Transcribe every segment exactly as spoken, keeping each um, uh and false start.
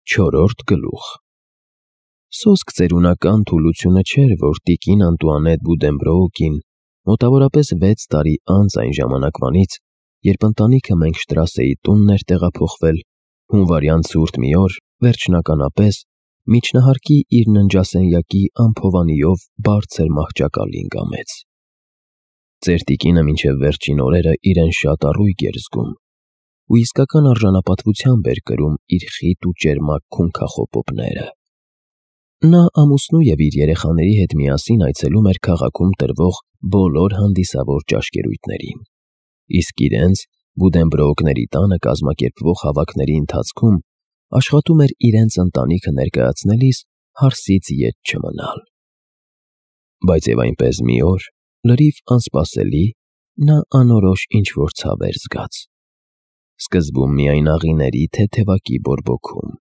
Չորրորդ գլուխ Սոսկ ծերունական թուլությունը չէր, որ տիկին Անտուանետ Բուդենբրոուկին մոտավորապես վեց տարի անց այն ժամանակվանից, երբ ընտանիքը Մենգշտրասեի տունն էր տեղափոխվել, հունվարյան ցուրտ մի օր, վերջնականապես, միջնահարկի իր ննջասենյակի անփովանիով բարձր մահճակալին կամեց։ Ծեր տիկինը մինչև վերջին օրերը իրեն շատ առույգ էր զգում ու իսկական արժանապատվությամբ էր կրում իր խիտ ու ճերմակ քունքախոպոպները։ Նա ամուսնու և իր երեխաների հետ միասին այցելում էր քաղաքում տրվող բոլոր հանդիսավոր ճաշկերույթներին, իսկ իրենց՝ Բուդենբրոուկների տանը կազմակերպվող հավաքների ընթացքում աշխատում էր իրենց ընտանիքը ներկայացնելիս հարսից ետ չմնալ։ Բայց և այնպես մի օր, լրիվ անսպասելի, նա անորոշ ինչ-որ ցավ էր զգաց։ Սկզբում միայն աղիների թեթևակի բորբոքում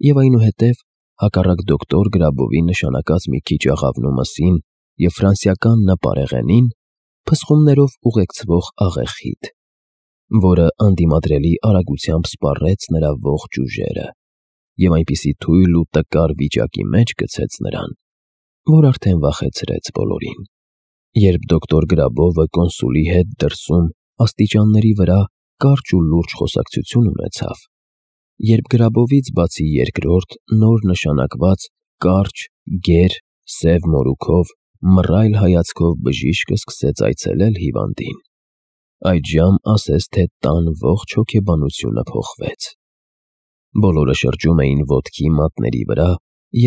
և այնուհետև, հակառակ դոկտոր Գրաբովի նշանակած մի քիչ աղավնու մսին և ֆրանսիական Ն պարեղենին, փսխումներով ուղեկցվող աղեխիթ, որը անդիմադրելի արագությամբ սպառեց նրա ողջ ուժերը և այնպիսի թույլ ու տկար վիճակի մեջ գցեց նրան, որ արդեն վախեցրեց բոլորին։ Երբ դոկտոր Գրաբովը կոնսուլի հետ դրսում աստիճանների վրա կարճ ու լուրջ խոսակցություն ունեցավ, երբ Գրաբովից բացի երկրորդ, նոր նշանակված, կարճ, գեր, սև մորուքով, մռայլ հայացքով բժիշկը սկսեց այցելել հիվանդին, այդժամ ասես թե տան ողջ հոգեբանությունը փոխվեց։ Բոլորը շրջում էին ոտքի մատների վրա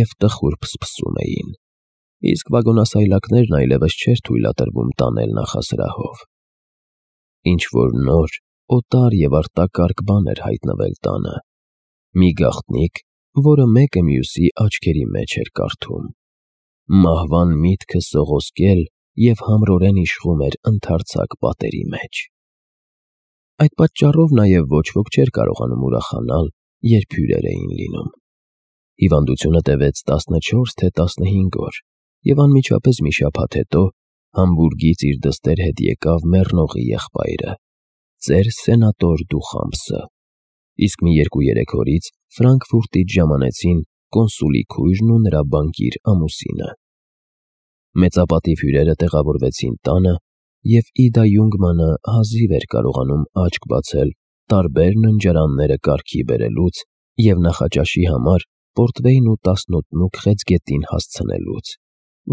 և տխուր փսփսում էին, իսկ վագոնասայլակներն այլևս չէր թույլատրվում տանել նախասրահով։ Ինչ-որ նոր, օտար և արտակարգ բան էր հայտնվել տանը, մի գաղտնիք, որը մեկը մյուսի աչքերի մեջ էր կարդում։ Մահվան միտքը սողոսկել և համրորեն իշխում էր ընդարձակ պատերի մեջ։ Այդ պատճառով նաև ոչ ոք չէր կարողանում ուրախանալ, երբ հյուրեր էին լինում։ Հիվանդությունը տևեց տասնչորս թե տասնհինգ օր և անմիջապես մի շաբաթ հետո Համբուրգից իր դստեր հետ եկավ մեռնողի եղբայրը՝ ծեր սենատոր Դուխամպսը, իսկ մի երկու֊երեք օրից Ֆրանկֆուրտից ժամանեցին կոնսուլի քույրն ու նրա բանկիր ամուսինը։ Մեծապատիվ հյուրերը տեղավորվեցին տանը, և Իդա Յունգմանը հազիվ էր կարողանում աչք բացել տարբեր ննջարանները կարգի բերելուց և նախաճաշի համար պորտվեյն ու տասնոտնուկ խեցգետին հասցնելուց,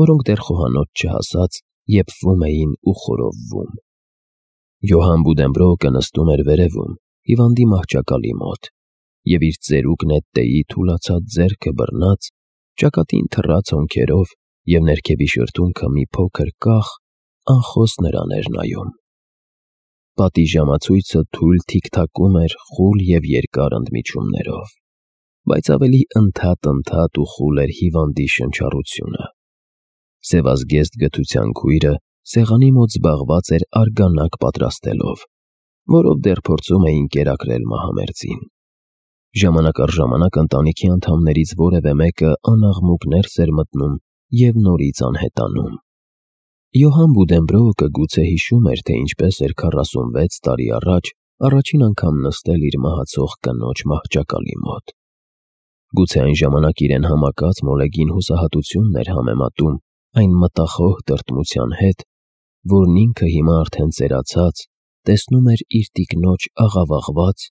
որոնք դեռ խոհանոց չհասած եփվում էին ու խորովվում։ Յոհան Բուդենբրոուկը նստում էր վերևում, հիվանդի մահճակալի մոտ, և իր ծերուկ նետտեի թուլացած ձեռքը բռնած, ճակատին թռած հոնքերով և ներքևի շրթունքը մի փոքր կախ, անխոս նրան էր նայում։ Պատի ժամացույցը թույլ թիքթակում էր խուլ և երկար ընդմիջումներով, բայց ավելի ընդհատ-ընդհատ ու խուլ էր հիվանդի շնչառությունը։ Սևազգեստ գթության քույրը սեղանի մոտ զբաղված էր արգանակ պատրաստելով, որով դեռ փորձում էին կերակրել մահամերձին։ Ժամանակ առ ժամանակ ընտանիքի անդամներից որևէ մեկը անաղմուկ ներս էր մտնում և նորից անհետանում։ Յոհան Բուդենբրոուկը գուցե հիշում էր, թե ինչպես էր քառասունվեց տարի առաջ առաջին անգամ նստել իր մահացող կնոջ մահճակալի մոտ։ Գուցե այն ժամանակ իրեն համակած մոլեգին հուսահատությունն էր համեմատում այն մտախոհ տրտմության հետ, որն ինքը հիմա արդեն ծերացած տեսնում էր իր տիկնոջ աղավաղված,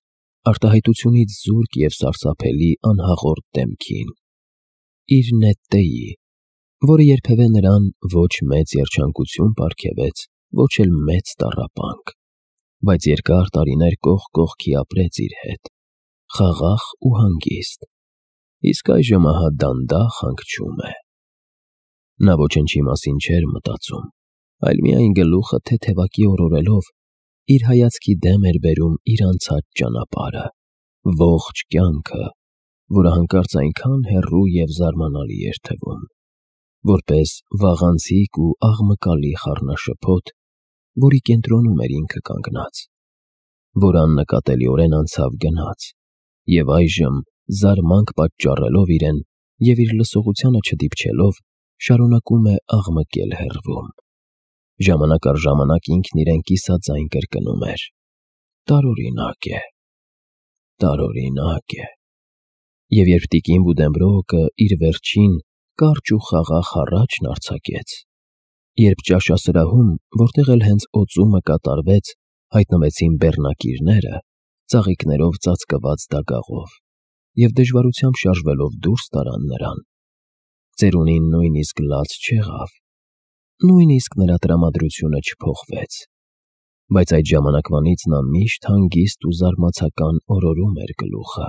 արտահայտությունից զուրկ և սարսափելի անհաղորդ դեմքին, իր նետտեի, որը երբևէ նրան ոչ մեծ երջանկություն պարգևեց, ոչ էլ մեծ տառապանք, բայց երկար տարիներ կողք կողքի ապրեց իր հետ, խաղաղ ու հանգիստ, իսկ այժմ ահա դանդաղ հանգչում է։ Նա ոչնչի մասին չէր մտածում, այլ միայն գլուխը թեթևակի օրորելով իր հայացքի դեմ էր բերում իր անցած ճանապարհը, ողջ կյանքը, որը հանկարծ այնքան հեռու և զարմանալի էր թվում, որպես վաղանցիկ ու աղմկալի խառնաշփոթ, որի կենտրոնում էր ինքը կանգնած, որ աննկատելիորեն անցավ գնաց և այժմ, զարմանք պատճառելով իրեն և իր լսողությանը չդիպչելով, շարունակում է աղմկել հեռվում։ Ժամանակ առ ժամանակ ինքն իրեն կիսաձայն կրկնում էր. «Տարօրինակ է, տարօրինակ է»։ Եվ երբ տիկին Բուդենբրոուկը իր վերջին կարճ ու խաղաղ հառաչն արձակեց, երբ ճաշասրահում, որտեղ էլ հենց օծումը կատարվեց, հայտնվեցին բեռնակիրները, ծաղիկներով ծածկված դագաղով, և դժվարությամբ շարժվելով դուրս տարան նրան, ծերունին նույնիսկ լաց չեղավ, նույնիսկ նրա տրամադրությունը չփոխվեց, բայց այդ ժամանակվանից նա միշտ հանգիստ ու զարմացական օրորում էր գլուխը,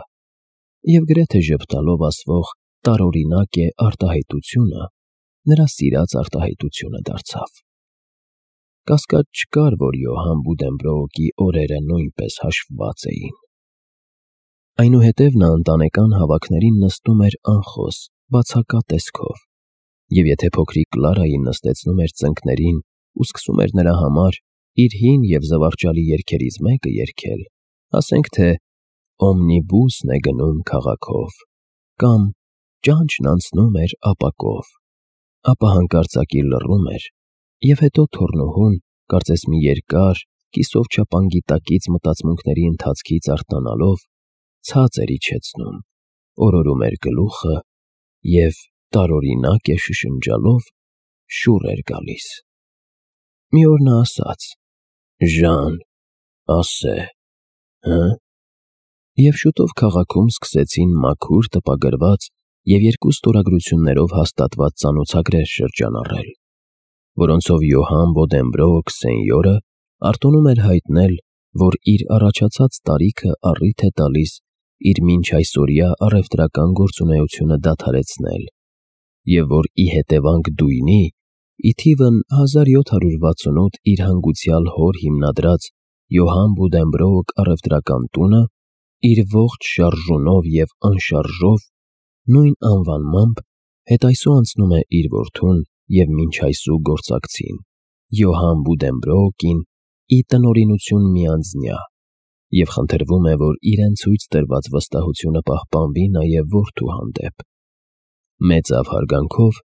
և գրեթե ժպտալով ասվող տարօրինակ է արտահայտությունը նրա սիրած արտահայտությունը դարձավ։ Կասկած չկար, որ Յոհան Բուդենբրոուկի օրերը նույնպես հաշվված էին։ Այնուհետև նա ընտանեկան հավաքներին նստում էր անխոս, բացակա տեսքով, և եթե փոքրիկ Կլարային նստեցնում էր ծնկներին ու սկսում էր նրա համար իր հին և զվարճալի երգերից մեկը երգել, ասենք թե «Օմնիբուսն է գնում քաղաքով» կամ «Ճանճն անցնում էր ապակով», ապա հանկարծակի լռում էր, և հետո թոռնուհուն, կարծես մի երկար, կիսով չափանգիտակից մտածմունքների ընթացքից արթնանալով, ցած էր իջեցնում, օրորում էր գլուխը և, տարօրինակ է շշնջալով, շուռ էր գալիս։ Մի օր նա ասաց. «Ժան, ասե, հը՞»։ Եվ շուտով քաղաքում սկսեցին մաքուր տպագրված և երկու ստորագրություններով հաստատված ծանոցագրեր շրջանառել, որոնցով Յոհան Բոդենբրոուկ սենյորը արտոնում էր հայտնել, որ իր առաջացած տարիքը առիթ է տալիս իր մինչ այսօրյա առևտրական գործունեությունը դադարեցնել, և որ ի հետևանք դույնի, ի թիվն հազար յոթ հարյուր վաթսունութ իր հանգուցյալ հոր հիմնադրած Յոհան Բուդենբրոուկ առևտրական տունը իր ողջ շարժունով և անշարժով, նույն անվանմամբ, հետայսու անցնում է իր որդուն և մինչ այսու գործակցին՝ Յոհան Բուդենբրոուկին ի տնօրինություն միանձնյա, և խնդրվում է, որ իրեն ցույց տրված վստահությունը պահպանվի նաև որդու հանդեպ։ Մեծավ հարգանքով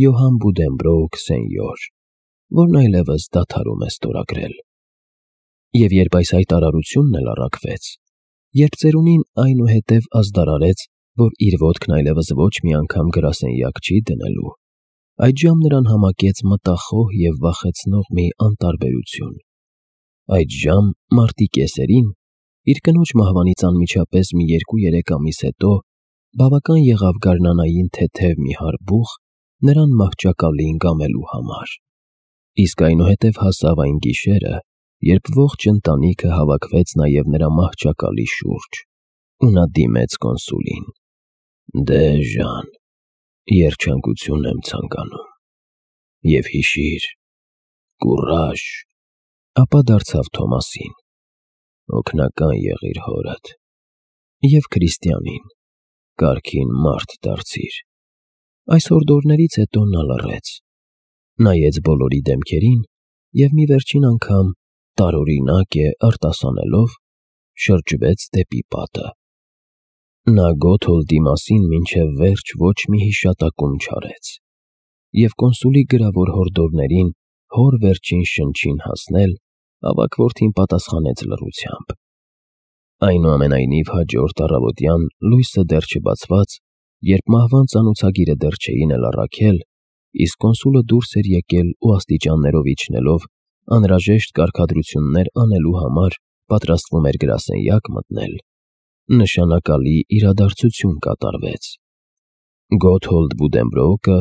Յոհան Բուդենբրոուկ սենյոր, որն այլևս դադարում է ստորագրել։ Եվ երբ այս հայտարարությունն էլ առաքվեց, երբ ծերունին այնուհետև ազդարարեց, որ իր ոտքն այլևս ոչ մի անգամ գրասենյակ չի դնելու, այդժամ նրան համակեց մտախոհ և վախեցնող մի անտարբերություն։ Այդժամ մարտի կեսերին, իր կնոջ մահվանից անմիջապես մի երկու֊երեք ամիս հետո, բավական եղավ գարնանային թեթև մի հարբուխ նրան մահճակալին կամելու համար։ Իսկ այնուհետև հասավ այն գիշերը, երբ ողջ ընտանիքը հավաքվեց նաև նրա մահճակալի շուրջ, ու նա դիմեց կոնսուլին. «Դե, Ժան, երջանկություն եմ ցանկանում, և հիշիր, կուռաժ», ապա դարձավ Թոմասին. «Օգնական եղիր հորդ, և Քրիստիանին, կարգին մարդ դարձիր»։ Այս հորդորներից հետո նա լռեց, նայեց բոլորի դեմքերին և մի վերջին անգամ, տարօրինակ է արտասանելով, շրջվեց դեպի պատը։ Նա Գոթոլդի մասին մինչև վերջ ոչ մի հիշատակում չարեց, և կոնսուլի գրավոր հորդորներին հոր վերջին շնչին հասնել, ավագ որդին պատասխանեց լռությամբ։ Այնուամենայնիվ հաջորդ առավոտյան լույսը դեռ չբացված, երբ մահվան ծանոցագիրը դեռ չէին էլ առաքել, իսկ կոնսուլը դուրս էր եկել ու աստիճաններով իջնելով անհրաժեշտ կարգադրություններ անելու համար պատրաստվում էր գրասենյակ մտնել, նշանակալի իրադարձություն կատարվեց։ Գոթոլդ Բուդենբրոուկը,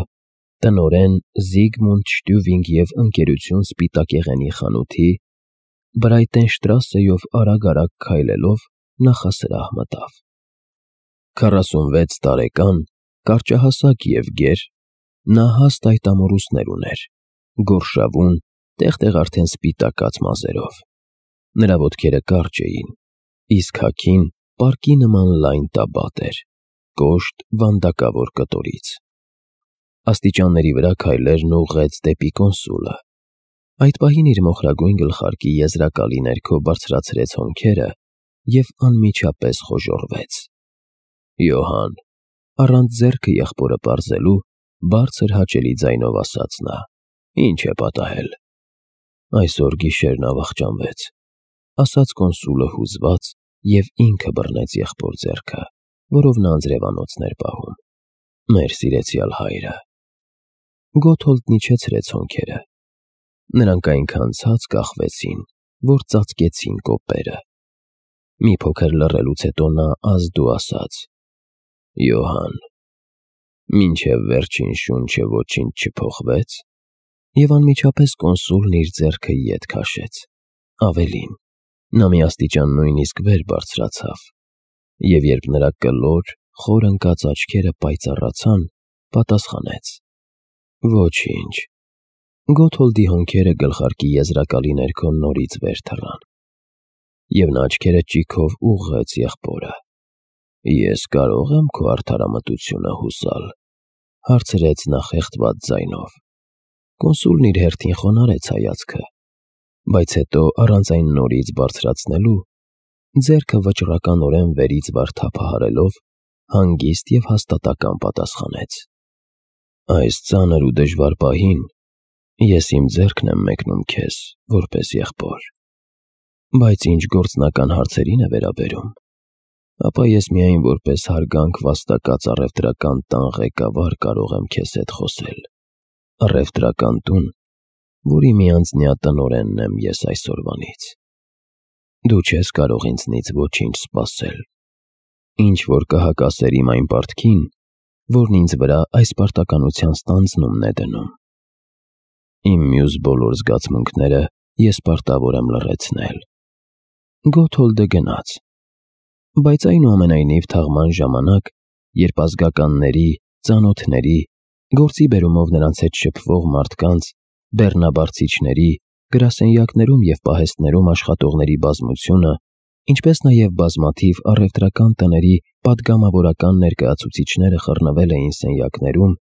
տնօրեն Զիգմունդ Շտյուվինգ և ընկերություն Սպիտակեղենի խանութի, Բրայտենշտրասեով արագ-արագ քայլելով նախասրահ մտավ։ Քառասունվեց տարեկան, կարճահասակ և գեր, նա հաստ այտամորուսներ ուներ, գորշավուն, տեղ֊տեղ արդեն սպիտակած մազերով։ Նրա ոտքերը կարճ էին, իսկ հագին պարկի նման լայն տաբատ էր, կոշտ վանդակավոր կտորից։ Աստիճանների վրա քայլերն ուղղեց դեպի կոնսուլը։ Այդ պահին իր մոխրագույն գլխարկի եզրակալի ներքո բարձրացրեց հոնքերը և անմիջապես խոժոռվեց։ «Յոհան», առանց ձեռքը եղբորը պարզելու, բարձր հաճելի ձայնով ասաց նա, «ի՞նչ է պատահել»։ «Այսօր գիշեր նա վախճանվեց», ասաց կոնսուլը հուզված և ինքը բռնեց եղբոր ձեռքը։ որով նա անձրևանոցն էր պահում։ Մեր սիրեցյալ հայրը։ Գոթոլդն իջեցրեց հոնքերը։ Նրանք այնքան ցած կախվեցին, որ ծածկեցին կոպերը։ Մի փոքր լռելուց հետո նա ազդու ասաց. «Յոհան, մինչև վերջին շունչը ոչինչ չփոխվեց»։ Եվ անմիջապես կոնսուլն իր ձեռքը ետ քաշեց։ Ավելին, նա մի աստիճան նույնիսկ վեր բարձրացավ, և երբ նրա կլոր, խոր ընկած աչքերը պայծառացան, պատասխանեց. «Ոչինչ»։ Գոթոլդի հոնքերը գլխարկի եզրակալի ներքո նորից վեր թռան, և նա աչքերը ճիգով ուղղեց եղբորը։ «Ես կարո՞ղ եմ քո արդարամտությունը հուսալ», հարցրեց նա խեղդված ձայնով։ Կոնսուլն իր հերթին խոնարհեց հայացքը, բայց հետո, առանց այն նորից բարձրացնելու, ձեռքը վճռականորեն վերից վար թափահարելով, հանգիստ և հաստատակամ պատասխանեց. «Այս ծանր ու դժվար պահին ես իմ ձեռքն եմ մեկնում քեզ որպես եղբոր, բայց ինչ գործնական հարցերին է վերաբերում, ապա ես միայն որպես հարգանք վաստակած առևտրական տան ղեկավար կարող եմ քեզ հետ խոսել, առևտրական տուն, որի մի անձնյա տնօրենն եմ ես այսօրվանից։ Դու չես կարող ինձնից ոչինչ սպասել, ինչ-որ կհակասեր իմ այն պարտքին, որն ինձ վրա այս պարտականության ստանձնումն է դնում։ Իմ մյուս բոլոր զգացմունքները ես պարտավոր եմ լռեցնել»։ Գոթոլդը գնաց, բայց այնուամենայնիվ թաղման ժամանակ, երբ ազգականների, ծանոթների, գործի բերումով նրանց հետ շփվող մարդկանց, բեռնաբարձիչների, գրասենյակներում և պահեստներում աշխատողների բազմությունը, ինչպես նաև բազմաթիվ առևտրական տների պատգամավորական ներկայացուցիչները խռնվել էին սենյակներում,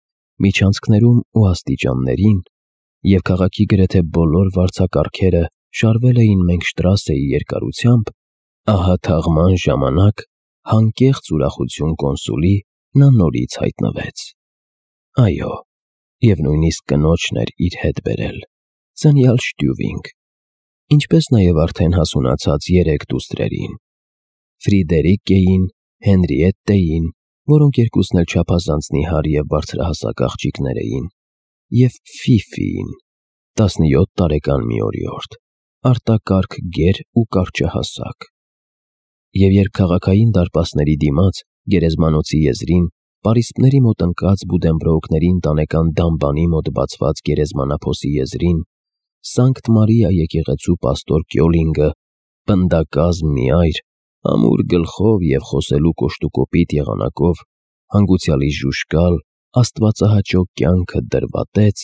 միջանցքներում ու աստիճաններին, և քաղաքի գրեթե բոլոր վարձակարգերը շարվել էին Մենգշտրասեի երկարությամբ, ահա թաղման ժամանակ, հանկեղծ ուրախություն կոնսուլի, նա նորից հայտնվեց։ Այո, և նույնիսկ կնոջն էր իր հետ բերել, ծնյալ Շտյուվինգ, ինչպես նաև արդեն հասունացած երեք դուստրերին՝ Ֆրիդերիկեին, Հենրիետտեին, որոնք երկուսն էլ չափազանց նիհար և բարձրահասակ աղջիկներ էին, և Ֆիֆիին, տասնյոթ տարեկան մի օրիորդ, արտակարգ գեր ու կարճահասակ։ Եվ երբ քաղաքային դարպասների դիմաց, գերեզմանոցի եզրին, պարիսպների մոտ ընկած Բուդենբրոուկների ընտանեկան դամբանի մոտ բացված գերեզմանափոսի եզրին, Սանկտ Մարիա եկեղեցու պաստոր Կյոլինգը, պնդակազմ մի այր, ամուր գլխով և խոսելու կոշտուկոպիտ եղանակով, հանգուցյալի ժուժկալ, աստվածահաճո կյանքը դրվատեց,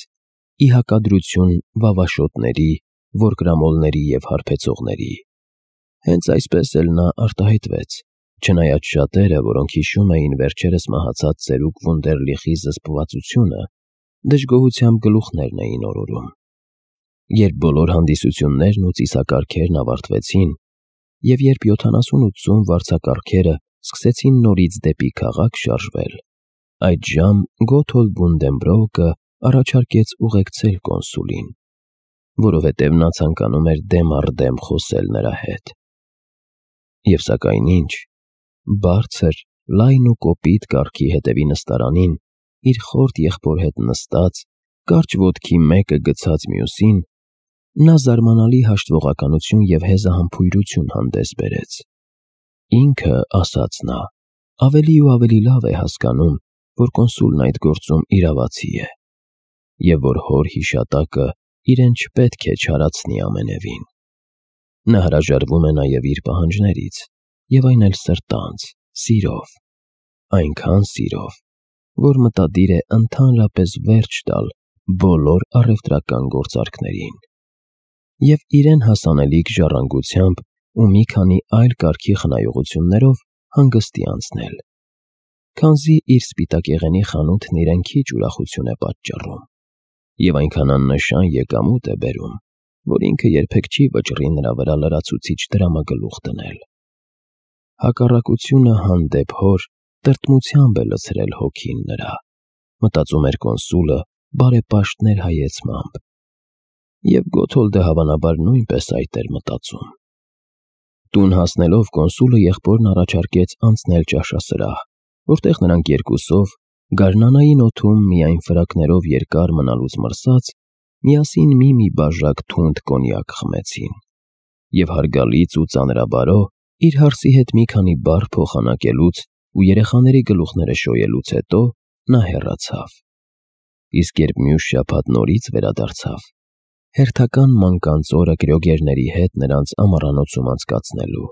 ի հակադրություն վավաշոտների, որկրամոլների և հարբեցողների։ Հենց այսպես էլ նա արտահայտվեց, չնայած շատերը, որոնք հիշում էին վերջերս մահացած ծերուկ Վունդերլիխի զսպվածությունը, դժգոհությամբ գլուխներն էին օրորում։ Երբ բոլոր հանդիսություններն ու ծիսակարգերն ավարտվեցին, և երբ յոթանասուն-ութսուն վարձակարգերը սկսեցին նորից դեպի քաղաք շարժվել, այդժամ Գոթոլդ Բունդենբրոուկը առաջարկեց ուղեկցել կոնսուլին, որովհետև նա ցանկանում էր դեմ առ դեմ խոսել նրա հետ։ Եվ սակայն ինչ, բարձր, լայն ու կոպիտ կառքի հետևի նստարանին, իր խորտ եղբոր հետ նստած, կարճ ոտքի մեկը գցած մյուսին, նա զարմանալի հաշտվողականություն և հեզահամբույրություն հանդես բերեց։ Ինքը, ասաց նա, ավելի ու ավելի լավ է հասկանում, որ կոնսուլն այդ գործում իրավացի է, և որ հոր հիշատակը իրեն չպետք է չարացնի ամենևին։ Նա հրաժարվում է նաև իր պահանջներից, և այն էլ սրտանց, սիրով, այնքան սիրով, որ մտադիր է ընդհանրապես վերջ տալ բոլոր առևտրական գործարքներին և իրեն հասանելիք ժառանգությամբ ու մի քանի այլ կարգի խնայողություններով հանգստի անցնել, քանզի իր սպիտակեղենի խանութն իրեն քիչ ուրախություն է պատճառում և այնքան աննշան եկամուտ է բերում, որ ինքը երբեք չի վճռի նրա վրա լրացուցիչ դրամագլուխ դնել։ Հակառակությունը հանդեպ հոր տրտմությամբ է լցրել հոգին նրա, մտածում էր կոնսուլը բարեպաշտներ հայեցմամբ, և Գոթոլդը հավանաբար նույնպես այդ էր մտածում։ Տուն հասնելով կոնսուլը եղբորն առաջարկեց անցնել ճաշասրահ, որտեղ նրանք երկուսով, գարնանային օդում միայն ֆրակներով երկար մնալուց մրսած, միասին մի-մի բաժակ թունդ կոնյակ խմեցին։ Եվ հարգալից ու ծանրաբարո, իր հարսի հետ մի քանի բառ փոխանակելուց ու երեխաների գլուխները շոյելուց հետո նա հեռացավ։ Իսկ երբ մյուս շաբաթ նորից վերադարձավ, հերթական մանկանց օրը կրյոգերների հետ նրանց ամառանոցում անցկացնելու,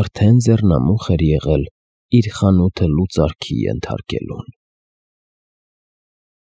արդեն ձեռնամուխ էր եղել իր խանութը լուծարքի ենթարկելուն։